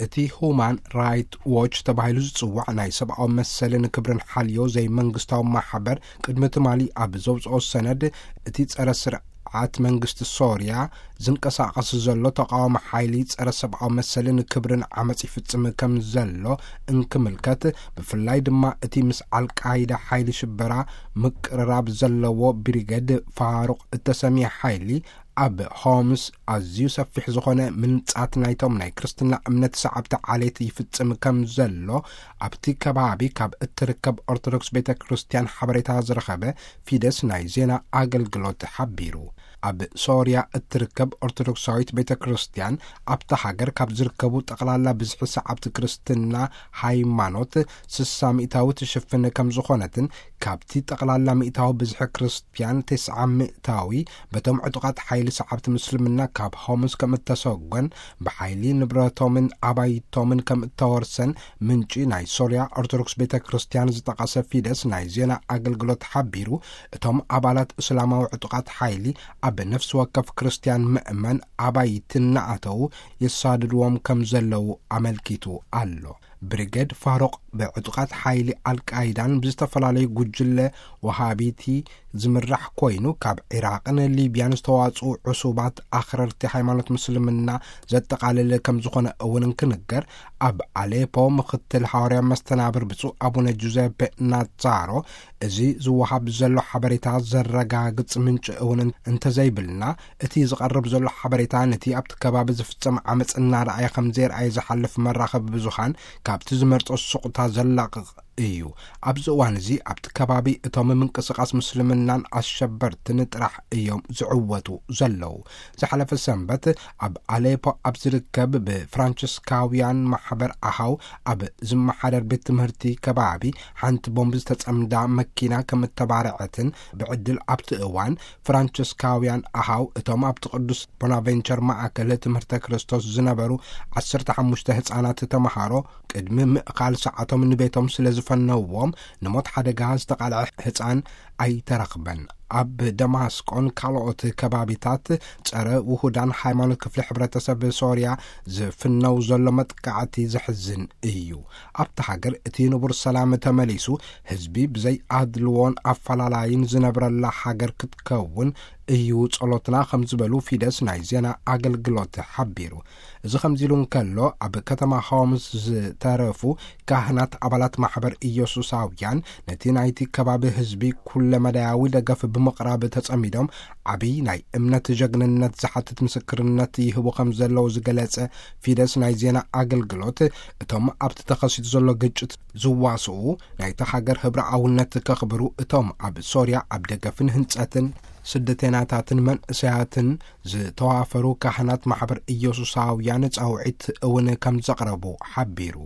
እቲ ሁማን ራይት ዎች ተባሂሉ ዝጽዋዕ ናይ ሰብኣዊ መሰልን ክብርን ሓልዮ ዘይመንግስታዊ ማሕበር ቅድሚ ትማሊ ኣብ ዘውፅኦ ሰነድ፣ እቲ ጸረ ስርዓት መንግስቲ ሶርያ ዝንቀሳቐስ ዘሎ ተቃዋሚ ሓይሊ ጸረ ሰብኣዊ መሰልን ክብርን ዓመፅ ይፍጽም ከም ዘሎ እንክምልከት፣ ብፍላይ ድማ እቲ ምስ ኣልቃይዳ ሓይሊ ሽበራ ምቅርራብ ዘለዎ ብሪገድ ፋሩቅ እተሰምየ ሓይሊ ኣብ ሆምስ ኣዝዩ ሰፊሕ ዝኾነ ምንጻት ናይቶም ናይ ክርስትና እምነት ሰዓብቲ ዓሌት ይፍጽም ከም ዘሎ ኣብቲ ከባቢ ካብ እትርከብ ኦርቶዶክስ ቤተ ክርስቲያን ሓበሬታ ዝረኸበ ፊደስ ናይ ዜና ኣገልግሎት ሓቢሩ። ኣብ ሶርያ እትርከብ ኦርቶዶክሳዊት ቤተ ክርስቲያን ኣብታ ሃገር ካብ ዝርከቡ ጠቕላላ ብዝሒ ሰዓብቲ ክርስትና ሃይማኖት ስሳ ሚእታዊ ትሽፍን ከም ዝኾነትን፣ ካብቲ ጠቕላላ ሚእታዊ ብዝሒ ክርስቲያን ተስዓ ሚእታዊ በቶም ዕጡቓት ሓይሊ ሰዓብቲ ምስልምና ካብ ሆምስ ከም እተሰጎን፣ ብሓይሊ ንብረቶምን ኣባይቶምን ከም እተወርሰን ምንጪ ናይ ሶርያ ኦርቶዶክስ ቤተ ክርስቲያን ዝጠቐሰ ፊደስ ናይ ዜና ኣገልግሎት ሓቢሩ። እቶም ኣባላት እስላማዊ ዕጡቓት ሓይሊ ኣብ ነፍሲ ወከፍ ክርስቲያን ምእመን ኣባይቲ እናኣተዉ የሳድድዎም ከም ዘለዉ ኣመልኪቱ ኣሎ። ብሪጌድ ፋሩቅ ብዕጡቓት ሓይሊ ኣልቃይዳን ብዝተፈላለዩ ጉጅለ ወሃቢቲ ዝምራሕ ኮይኑ፣ ካብ ዒራቕን ሊብያን ዝተዋጽኡ ዕሱባት ኣኽረርቲ ሃይማኖት ምስልምና ዘጠቓልል ከም ዝኾነ እውን እንክንገር፣ ኣብ ኣሌፖ ምኽትል ሃዋርያ መስተናብር ብፁዕ ኣቡነ ጁዘፔ ናዛሮ፣ እዚ ዝወሃብ ዘሎ ሓበሬታ ዘረጋግጽ ምንጪ እውን እንተዘይብልና፣ እቲ ዝቐርብ ዘሎ ሓበሬታ ነቲ ኣብቲ ከባቢ ዝፍጸም ዓመጽ እናረኣየ ከም ዘይረኣየ ዝሓልፍ መራኸቢ ብዙሃን ካብቲ ዝመርጾ ሱቕታ ዘላቕቕ እዩ። ኣብዚ እዋን እዚ ኣብቲ ከባቢ እቶም ምንቅስቓስ ምስልምናን ኣሸበርትን ጥራሕ እዮም ዝዕወቱ ዘለዉ። ዝሓለፈ ሰንበት ኣብ ኣሌፖ ኣብ ዝርከብ ብፍራንቸስካውያን ማሕበር ኣሃው ኣብ ዝመሓደር ቤት ትምህርቲ ከባቢ ሓንቲ ቦምብ ዝተጸምዳ መኪና ከም እተባረዐትን፣ ብዕድል ኣብቲ እዋን ፍራንቸስካውያን ኣሃው እቶም ኣብቲ ቅዱስ ቦናቬንቸር ማእከል ትምህርተ ክርስቶስ ዝነበሩ ዓሰርተ ሓሙሽተ ህጻናት ተመሃሮ ቅድሚ ምእኻል ሰዓቶም ንቤቶም ስለ ዝፈነውዎም፣ ንሞት ሓደጋ ዝተቓልዐ ህጻን ኣይተረኽበን። ኣብ ደማስቆን ካልኦት ከባቢታት ጸረ ውሁዳን ሃይማኖት ክፍሊ ሕብረተሰብ ሶርያ ዝፍነው ዘሎ መጥቃዕቲ ዘሕዝን እዩ። ኣብታ ሃገር እቲ ንቡር ሰላም ተመሊሱ፣ ህዝቢ ብዘይ ኣድልዎን ኣፈላላይን ዝነብረላ ሃገር ክትከውን እዩ ጸሎትና ከም ዝበሉ ፊደስ ናይ ዜና ኣገልግሎት ሓቢሩ። እዚ ከምዚ ኢሉ እንከሎ፣ ኣብ ከተማ ሆምስ ዝተረፉ ካህናት ኣባላት ማሕበር ኢየሱሳውያን ነቲ ናይቲ ከባቢ ህዝቢ ኩለመዳያዊ ደገፍ ብምቕራብ ተጸሚዶም ዓብዪ ናይ እምነት ጀግንነት ዝሓትት ምስክርነት ይህቡ ከም ዘለዉ ዝገለጸ ፊደስ ናይ ዜና ኣገልግሎት፣ እቶም ኣብቲ ተኸሲቱ ዘሎ ግጭት ዝዋስኡ ናይታ ሃገር ህብረኣውነት ከኽብሩ፣ እቶም ኣብ ሶርያ ኣብ ደገፍን ህንጸትን ስደተናታትን መንእሰያትን ዝተዋፈሩ ካህናት ማሕበር ኢየሱሳውያን ጻውዒት እውን ከም ዘቕረቡ ሓቢሩ።